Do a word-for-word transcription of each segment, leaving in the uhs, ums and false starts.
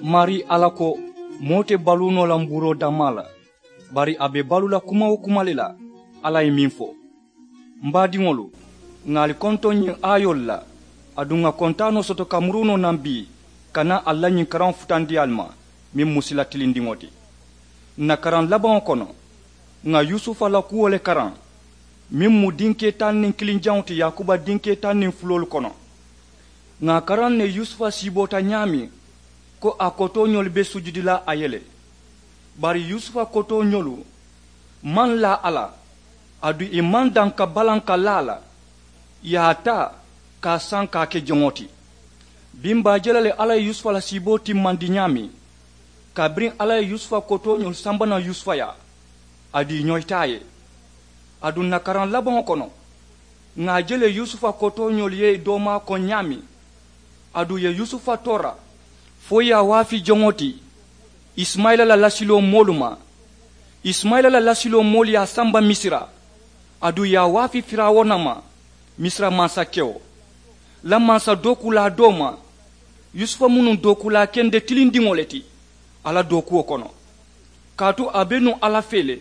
Maarii alla ko, moo te baluu noo la mbuuroo dammaa la, bari a be baluu la kuma-wo-kuma le la. Alla ye meŋ fo, m baadiŋolu, ŋà ali kontoŋ ñiŋ aayoolu la, aduŋ ŋà kontaanoo soto ka muruu noo naŋ bii, ka naa ali la ñiŋ karaŋo futandi ali ma, meŋ mu sila tilindiŋo ti. Ǹ na karaŋ labaŋo kono, ŋà yusufa la kuwo le karaŋ, meŋ mu dinkee taŋ niŋ kiliŋ jaŋo ti yaakuba dinkee taŋ niŋ fuloolu kono. Ŋà a karaŋ ne yusufa siiboota ñaameŋ, ko a kotooñolu be sujudi la a ye le. Bari yusufa kotooñolu maŋ laa a la, aduŋ ì maŋ daŋ ka balaŋ ka laa a la. Ì ye a taa ka a saŋ ka a ke joŋo ti. Biŋ baa je la le alla ye yusufa la siiboo timmandi ñaameŋ, kabiriŋ alla ye yusufa kotooñolu samba naŋ yusufa yaa, aduŋ ì ñoyita a ye. Aduŋ ǹ na karaŋ labaŋo kono, ŋà a je le yusufa kotooñolu ye ì doomaa koŋ ñaameŋ, aduŋ ì ye yusufa toora, fo ì ye a waafi joŋo ti, isimayila la lasiloo moolu ma. Isimayila la lasiloo moolu ye a samba misira, aduŋ ì ye a waafi firawuna ma, misira mansakewo la mansa dookuulaa doo ma. Yusufa mu nuŋ dookuulaa kende tilindiŋo le ti a la dookuwo kono, kaatu a be nuŋ alla fee le.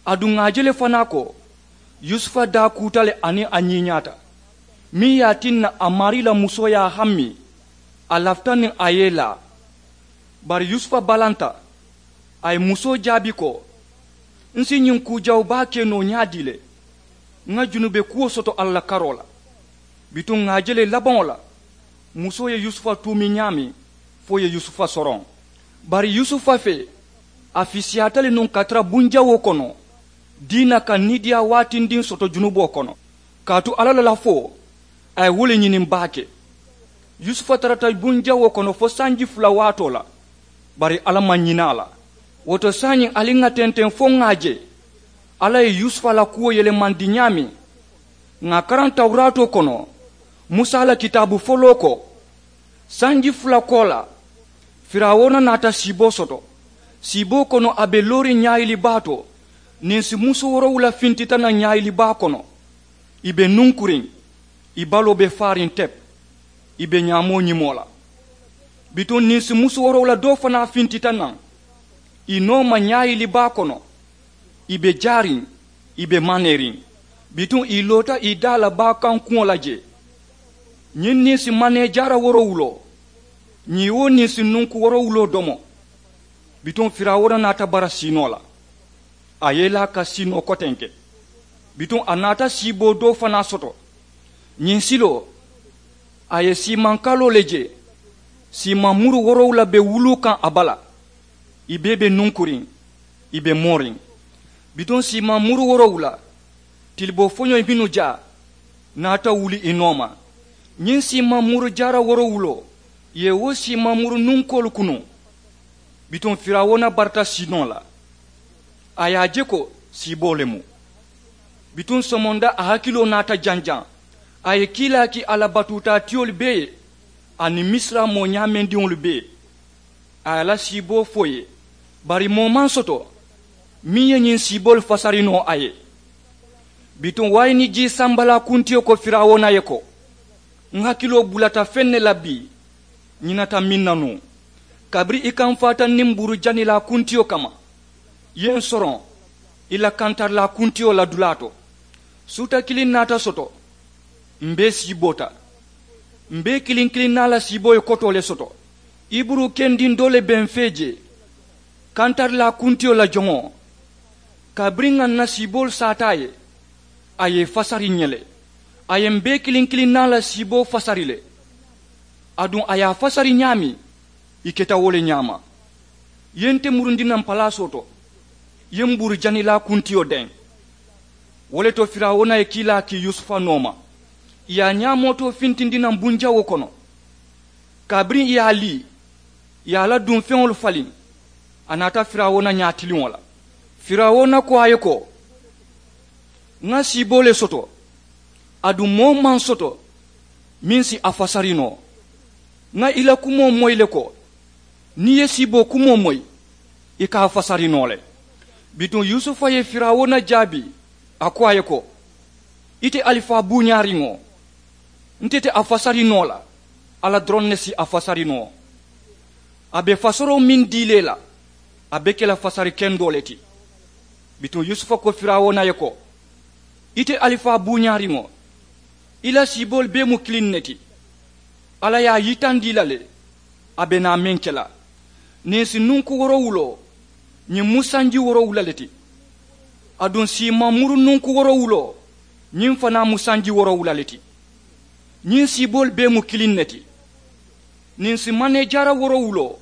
Aduŋ ŋà a je le fanaa ko, yusufa daa kuuta le aniŋ a ñiiñaata, meŋ ye a tinna a maarii la musoo ye a hammi, a lafita niŋ a ye ì laa. Bari yusufa balanta, a ye musoo jaabi ko, n si ñiŋ kuu jawu baa ke noo ñaadii le? Ŋà junube kuwo soto alla la karoo la. Bituŋ ŋà a je le labaŋo la, musoo ye yusufa tuumi ñaameŋ, fo ì ye yusufa soroŋ. Bari yusufa fee, a fisiyaata le nuŋ ka tara bunjawoo kono, diina ka niidiyaa waatindiŋ soto junuboo kono. Kaatu alla la lafoo, a ye wo le ñiniŋ baake. Yusufa tarata bunjawoo kono fo sanji fula waatoo la, bari alla maŋ ñina a la. Wo to saayiŋ ali ŋà tenteŋ fo ŋà a je alla ye yusufa la kuwo yelemandi ñaameŋ. Ŋà a karaŋ tawuraatoo kono, musa la kitaabu foloo ko, sanji fula koolaa, firawuna naata siiboo soto. Siiboo kono a be looriŋ ñaayili baa to, ninsi musu woorowula fintita naŋ ñaayili baa kono. Ì be nunkuriŋ, ì baloo be faariŋ tep, ì be ñaamoo ñimoo la. Bituŋ ninsi musu woorowula doo fanaa fintita naŋ, ì nooma ñaayili baa kono. Ì be jaariŋ, ì be maneeriŋ. Bituŋ ì loota ì daa la baa kaŋ kuŋo la jee. Ñiŋ ninsi manee jaara woorowuloo, ñiŋ wo ninsi nunku woorowuloo domo. Bituŋ firawuna naata bara siinoo la, a ye ì laa ka siinoo kotenke. Bituŋ a naata siiboo doo fanaa soto. Ñiŋ siloo, a ye siimaŋ kaloo le je. Siimaŋ muru woorowula be wuluu kaŋ a bala. Ì bee be nunkuriŋ, ì be mooriŋ. Bituŋ siimaŋ muru woorowula, tiliboo foñoo mennu jaa, naata wuli ì nooma. Ñiŋ siimaŋ muru jaara woorowuloo, ì ye wo siimaŋ muru nunkoolu kunuŋ. Bituŋ firawuna barata siinoo la, a ye a je ko siiboo le mu. Bituŋ somonda a hakiloo naata janjaŋ. A ye kiilaa ki a la batuutaatiyolu bee ye, aniŋ misira moo ñaamendiŋolu bee. A ye a la siiboo fo ì ye, bari moo maŋ soto meŋ ye ñiŋ siiboolu fasari noo a ye. Bituŋ waayini jii sambalaa kuntiyo ko firawuna ye ko, n hakiloo bulata feŋ ne la bii, ñinata meŋ na nuŋ, kabiriŋ i kamfaata niŋ mbuuru janilaa kuntiyo kamma, i ye n soroŋ i la kantarilaa kuntiyo la dulaa to. Suuta kiliŋ naata soto, m bee siiboota. M bee kiliŋ kiliŋ naa la siiboo ye kotoo le soto. Iburu kendiŋ doo le be m fee jee, kantarilaa kuntiyo la joŋo. Kabiriŋ ŋà n na siiboolu saata a ye, a ye ì fasari ǹ ye le. A ye m bee kiliŋ kiliŋ naa la siiboo fasari le. Aduŋ a ye a fasari ñaameŋ, ì keta wo le ñaama. I ye nte murundi naŋ palaasoo to, i ye mbuuru janilaa kuntiyo deŋ. Wo le to firawuna ye kiilaa kii yusufa nooma, ì ye a ñaamootoo fintindi naŋ bunjawoo kono. Kabiriŋ ì ye a lii, ì ye a la dunfeŋolu faliŋ, a naata firawuna ñaatiliŋo la. Firawuna ko a ye ko, ŋa siiboo le soto, aduŋ moo maŋ soto meŋ si a fasari noo. Ŋa i la kumoo moyi le ko, niŋ i ye siiboo kumoo moyi, i ka a fasari noo le. Bituŋ yusufa ye firawuna jaabi, a ko a ye ko, ite alifaa buuñaariŋo, nte te a fasari noo la, alla doroŋ ne si a fasari noo. A be fasoroo meŋ dii le la, a be ke la fasari kendoo le ti. Bituŋ yusufa ko firawuna ye ko, ite alifaa buuñaariŋo, i la siiboolu bee mu kiliŋ ne ti. Alla ye a yitandi i la le, a be naa meŋ ke la. Niŋ si nunku woorowuloo, ñiŋ mu sanji woorowula le ti. Aduŋ siimaŋ muru nunku woorowuloo, ñiŋ fanaa mu sanji woorowula le ti. Ñiŋ siiboolu bee mu kiliŋ ne ti. Niŋ si maneejaara woorowuloo,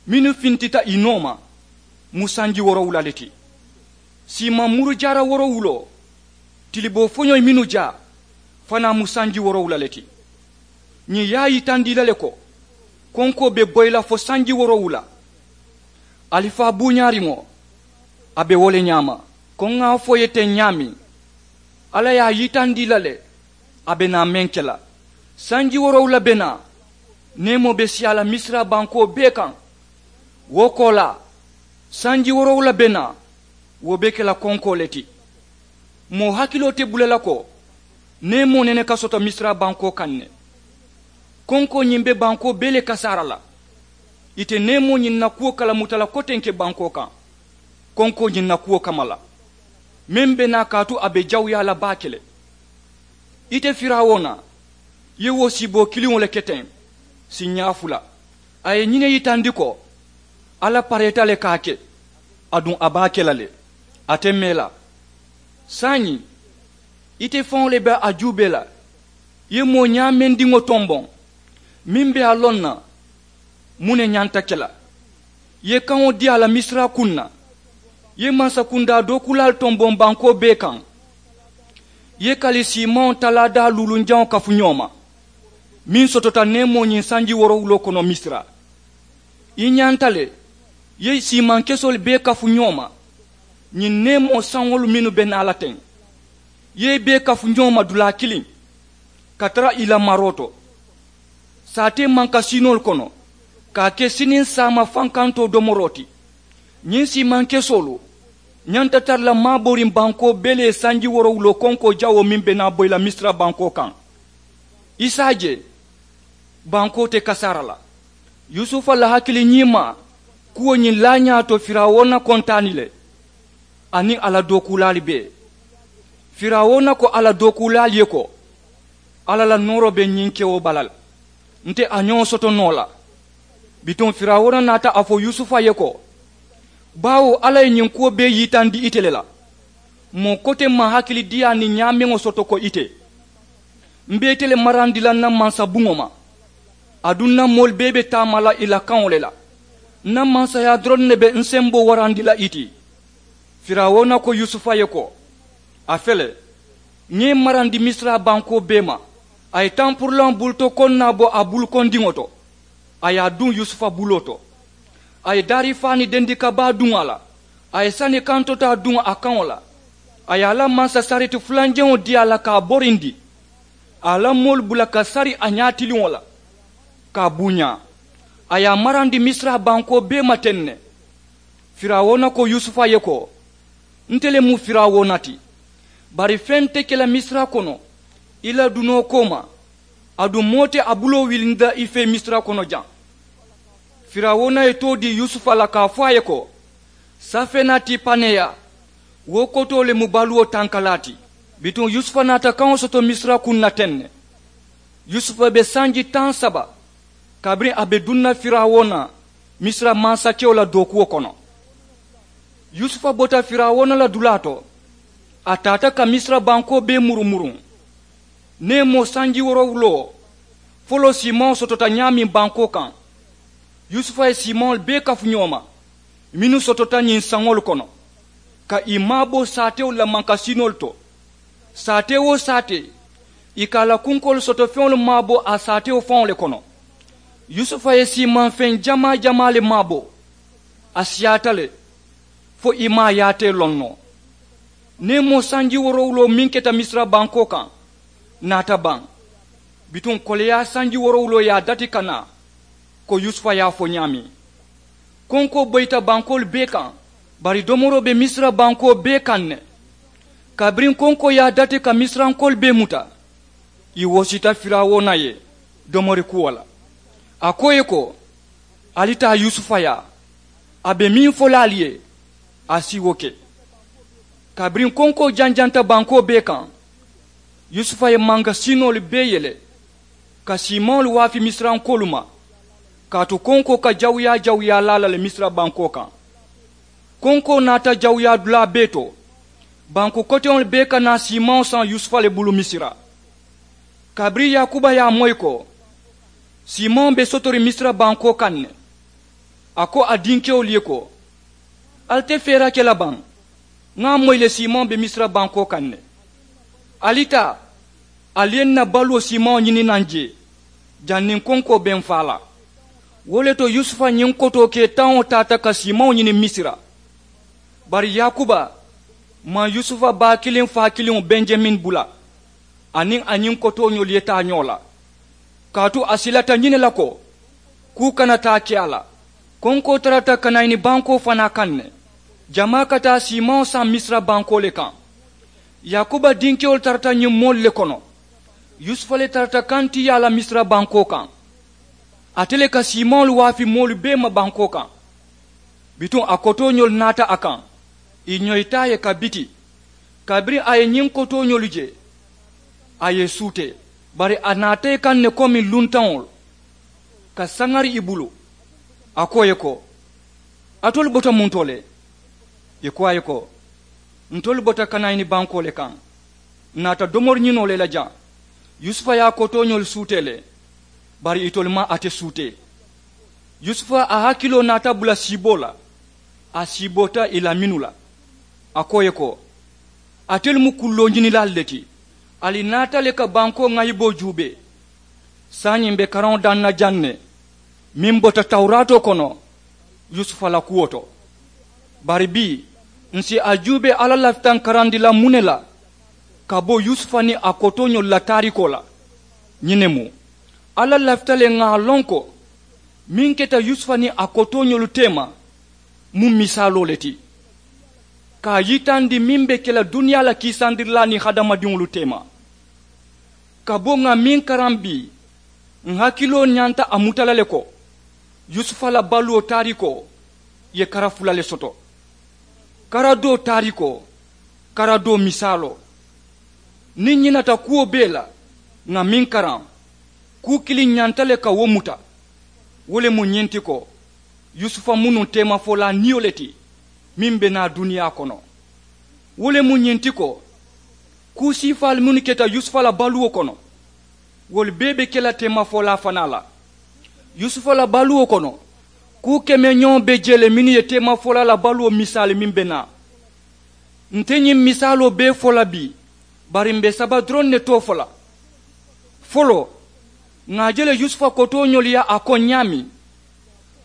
mennu fintita i nooma, mu sanji woorowula le ti. Siimaŋ muru jaara woorowuloo, tiliboo foñoyi mennu jaa, fanaa mu sanji woorowula le ti. Ñiŋ ye a yitandi i la le ko, konkoo be boyi la fo sanji woorowula. Alifaa buuñaariŋo, a be wo le ñaama. Ko ŋa a fo i ye teŋ ñaameŋ, alla ye a yitandi i la le, a be naa meŋ ke la. Sanji woorowula be naa, neemoo be siyaa la misira bankoo bee kaŋ. Wo koolaa, sanji woorowula be naa, wo be ke la konkoo le ti. Moo hakiloo te bula la ko, neemoo nene ka soto misira bankoo kaŋ ne. Konkoo ñiŋ be bankoo bee le kasaara la. Ite neemoo ñiŋ na kuwo kalamuta la kotenke bankoo kaŋ, konkoo ñiŋ na kuwo kamma la, meŋ be naa kaatu a be jawuyaa la baake le. Ite firawuna, i ye wo siiboo kiliŋo le ke teŋ, siiñaa fula. A ye ñiŋ ne yitandi ko, alla pareeta le ka a ke, aduŋ a be a ke la le, a te mee la. Saayiŋ, ite faŋo le be a juubee la, i ye moo ñaamendiŋo tomboŋ, meŋ be a loŋ na, muŋ ne ñanta ke la. I ye kaŋo dii a la misira kuŋ na, i ye mansakundaa dookuulaalu tomboŋ bankoo bee kaŋ. I ye kali siimaŋo talaadaa luulunjaŋo kafu ñoo ma, meŋ sotota neemoo ñiŋ sanji woorowuloo kono misira. I ñanta le, i ye siimaŋ kesoolu bee kafu ñoo ma, ñiŋ neemoo saŋolu mennu be naa la teŋ, i ye i bee kafu ñoo ma dulaa kiliŋ, ka tara i la maroo to, saatee mankasinoolu kono, ka a ke siniŋ saama fankantoo domoroo ti. Ñiŋ siimaŋ kesoolu ñanta tara la maaboriŋ bankoo bee le ye sanji woorowuloo konkoo jawoo meŋ be naa boyi la misira bankoo kaŋ. I si a je, bankoo te kasaara la. Yusufa la hakili ñiimaa kuwo ñiŋ laañaa to firawuna kontaani le, aniŋ a la dookuulaalu bee. Firawuna ko a la dookuulaalu ye ko, alla la nooroo be ñiŋ kewo bala le, nte a ñoo soto noo la. Bituŋ firawuna naata a fo yusufa ye ko, baawo alla ye ñiŋ kuwo bee yitandi ite le la. Moo koteŋ maŋ hakilidiyaa niŋ ñaameŋo soto ko ite. M̀ be ite le marandi la ǹ na mansabuŋo ma, aduŋ ǹ na moolu bee be taama la ì la kaŋo le la. Ǹ na mansayaa doroŋ ne be ǹ semboo warandi la ì ti. Firawuna ko yusufa ye ko, a fele, ŋa ì marandi misira bankoo bee ma. A ye tampurulaŋo buluto koŋ naa bo a bulukondiŋo to, a ye a duŋ yusufa buloo to. A ye daarifaani dendika baa duŋ a la, a ye sani kantotaa duŋ a kaŋo la. A ye a la mansasareti fulanjaŋo dii a la ka a borindi, a ye a la moolu bula ka sari a ñaatiliŋo la, ka a buuñaa. A ye a marandi misira bankoo bee ma teŋ ne. Firawuna ko yusufa ye ko, nte le mu firawuna ti, bari feŋ te ke la misira kono i la dunoo kooma, aduŋ moo te a buloo wilindi la i fee misira kono jaŋ. Firawuna ye too dii yusufa la ka a fo a ye ko, safenati paneya, wo kotoo le mu baluwo tankalaa ti. Bituŋ yusufa naata kaŋo soto misira kuŋ na teŋ ne. Yusufa be sanji taŋ saba kabiriŋ a be duŋ na firawuna, misira mansakewo la dookuwo kono. Yusufa bota firawuna la dulaa to, a taata ka misira bankoo bee murumuruŋ. Neemoo sanji woorowuloo foloo siimaŋo sotota ñaameŋ bankoo kaŋ, yusufa ye siimaŋolu bee kafu ñoo ma mennu sotota ñiŋ saŋolu kono, ka ì maabo saatewolu la mankasinoolu to. Saatee-wo-saatee, ì ka a la kunkoolu soto feŋolu maabo a saatewo faŋo le kono. Yusufa ye siimaŋ feŋ jamaa-jamaa le maabo. A siyaata le, fo ì maŋ a yaatee loŋ noo. Neemoo sanji woorowuloo meŋ keta misira bankoo kaŋ, naata baŋ. Bituŋ koleyaa sanji woorowuloo ye a dati ka naa, ko yusufa ye a fo ñaameŋ. Konkoo boyita bankoolu bee kaŋ, bari domoroo be misira bankoo bee kaŋ ne. Kabiriŋ konkoo ye a dati ka misirankoolu bee muta, ì wosita firawuna ye domori kuwo la. A ko ì ye ko, Ali taa yusufa yaa, a be meŋ fo la ali ye, a si wo ke. Kabiriŋ konkoo janjanta bankoo bee kaŋ, yusufa ye mankasinoolu bee yele ka siimaŋolu waafi misirankoolu ma, kaatu konkoo ka jawuyaa jawuyaa laa la le misira bankoo kaŋ. Konkoo naata jawuyaa dulaa bee to. Banku koteŋolu bee ka naa siimaŋo saŋ yusufa le bulu misira. Kabiriŋ yakuba ye a moyi ko siimaŋo be sotoriŋ misira bankoo kaŋ ne, a ko a dinkewolu ye ko, ali te feera ke la baŋ? Ŋa a moyi le siimaŋo be misira bankoo kaŋ ne. Ali taa, ali ye n na baluwo siimaŋo ñini naŋ jee, janniŋ konkoo be n faa la. Wo le to yusufa ñiŋ kotoo kee taŋo taata ka siimaŋo ñini misira. Bari yakuba maŋ yusufa baa kiliŋ faa kiliŋo benjamin bula, aniŋ a ñiŋ kotooñolu ye taa ñoo la. Kaatu a silata ñiŋ ne la ko kuu kana taa ke a la. Konkoo tarata kanayini bankoo fanaa kaŋ ne, jamaa ka taa siimaŋo saŋ misira bankoo le kaŋ. Yakuba dinkewolu tarata ñiŋ moolu le kono. Yusufa le tarata kantiyaa la misira bankoo kaŋ. Ate le ka siimaŋolu waafi moolu bee ma bankoo kaŋ. Bituŋ a kotooñolu naata a kaŋ, ì ñoyita a ye ka biti. Kabiriŋ a ye ñiŋ kotooñolu je, a ye ì suutee. Bari a naata ì kaŋ ne komi luntaŋolu ka saŋari ì bulu. A ko ì ye ko, alitolu bota muŋ to le? Ì ko a ye ko, ntolu bota kanayini bankoo le kaŋ, n naata domori ñinoo le la jaŋ. Yusufa ye a kotooñolu suutee le, bari itolu maŋ ate suutee. Yusufa a hakiloo naata bula siiboo la. A siiboota ì la mennu la, a ko ì ye ko, alitelu mu kulloo ñinilaalu le ti. Ali naata le ka bankoo ŋayiboo juubee. Saayiŋ m̀ be karaŋo daŋ na jaŋ ne meŋ bota tawuraatoo kono yusufa la kuwo to. Bari bii, ǹ si a juubee alla lafita ǹ karandi la muŋ ne la ka bo yusufa niŋ a kotooñolu la taarikoo la. Ñiŋ ne mu, alla lafita le ŋà a loŋ ko meŋ keta yusufa niŋ a kotooñolu teema mu misaaloo le ti, ka a yitandi meŋ be ke la duniyaa la kiisandirilaa niŋ hadamadiŋolu teema. Ka bo ŋà meŋ karaŋ bii, ǹ hakiloo ñanta a muta la le ko yusufa la baluwo taarikoo ye kara fula le soto. Kara doo taarikoo, kara doo misaaloo. Niŋ ñinata kuwo bee la ŋà meŋ karaŋ, kuu kiliŋ ñanta le ka wo muta. Wo le mu ñiŋ ti ko yusufa mu nuŋ teemafolaa niyo le ti meŋ be naa duniyaa kono. Wo le mu ñiŋ ti ko kuu siifaalu mennu keta yusufa la baluwo kono, wolu bee be ke la teemafolaa fanaa la. Yusufa la baluwo kono, kuu kemeñoŋo be jee le mennu ye teemafolaa la baluwo misaali meŋ be naa. Nte ñiŋ misaaloo bee fo la bii, bari m̀ be saba doroŋ ne too fo la. Foloo, ŋà a je le yusufa kotooñolu ye a koŋ ñaameŋ,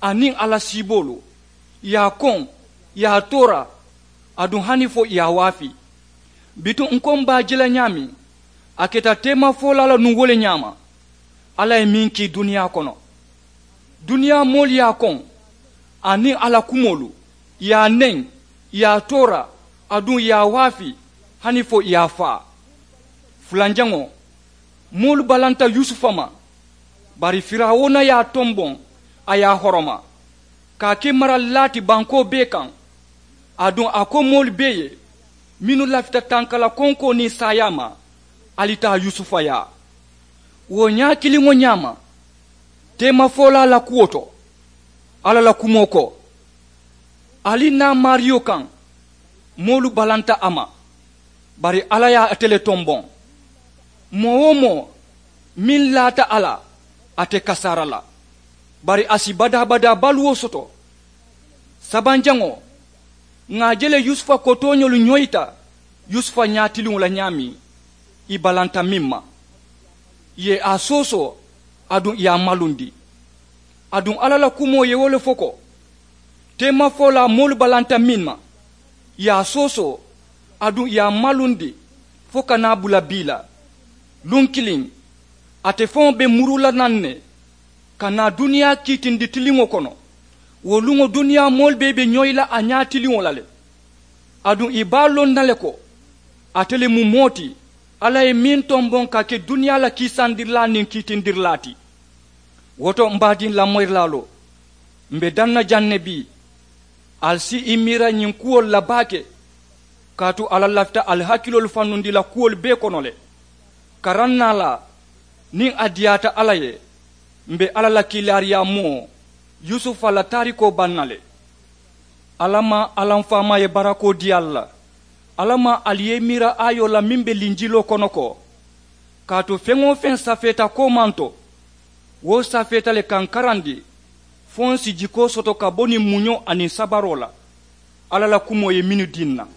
aniŋ a la siiboolu, ì ye a koŋ, ì ye a toora, aduŋ hani fo ì ye a waafi. Bituŋ ǹ ko m̀ be a je la ñaameŋ, a keta teemafolaa la nuŋ wo le ñaama. Alla ye meŋ kii duniyaa kono, duniyaa moolu ye a koŋ, aniŋ a la kumoolu, ì ye a neŋ, ì ye a toora, aduŋ ì ye a waafi, hani fo ì ye a faa. Fulanjaŋo, moolu balanta yusufa ma, bari firawuna ye a tomboŋ, a ye a horoma, ka a ke maralilaa ti bankoo bee kaŋ. Aduŋ a ko moolu bee ye mennu lafita tankala konkoo niŋ saayaa ma, ali taa yusufa yaa. Wo ñaa kiliŋo ñaama, teemafolaa la kuwo to, alla la kumoo ko, ali naa maariyo kaŋ, moolu balanta a ma, bari alla ye ate le tomboŋ. Moo-wo-moo meŋ laata a la, ate kasaara la, bari a si badaa-badaa baluwo soto. Sabanjaŋo, ŋà a je le yusufa kotooñolu ñoyita yusufa ñaatiliŋo la ñaameŋ, ì balanta meŋ ma, ì ye a soosoo, aduŋ ì ye a malundi. Aduŋ alla la kumoo ye wo le fo ko, teemafolaa moolu balanta meŋ ma, ì ye a soosoo, aduŋ ì ye a malundi, fo ka naa bula bii la. Luŋ kiliŋ, ate faŋo be muru la naŋ ne, ka naa duniyaa kiitindi tiliŋo kono. Wo luŋo duniyaa moolu bee be ñoyi la a ñaatiliŋo la le. Aduŋ ì be a loŋ na le ko, ate le mu moo ti alla ye meŋ tomboŋ ka ke duniyaa la kiisandirilaa niŋ kiitindirilaa ti. Wo to m̀ baadiŋ lamoyirilaaloo, M be daŋ na jaŋ ne bii. Ali si i miira ñiŋ kuwolu la baake. Kaatu alla lafita ali hakiloolu fannundi la kuwolu bee kono le. Karaŋ naa la niŋ a diyaata alla ye, m be alla la kiilaariyaa moo yusufa la taarikoo baŋ na le. Alla maŋ alla m faamaa ye barakoo dii ali la. Alla maŋ ali ye i miira aayoo la meŋ be linjiloo kono ko, kaatu feŋ-wo-feŋ safeeta koomaŋ to, wo safeeta le ka n karandi fo n si jikoo soto ka bo niŋ muñoo aniŋ sabaroo la alla la kumoo ye mennu dii n na.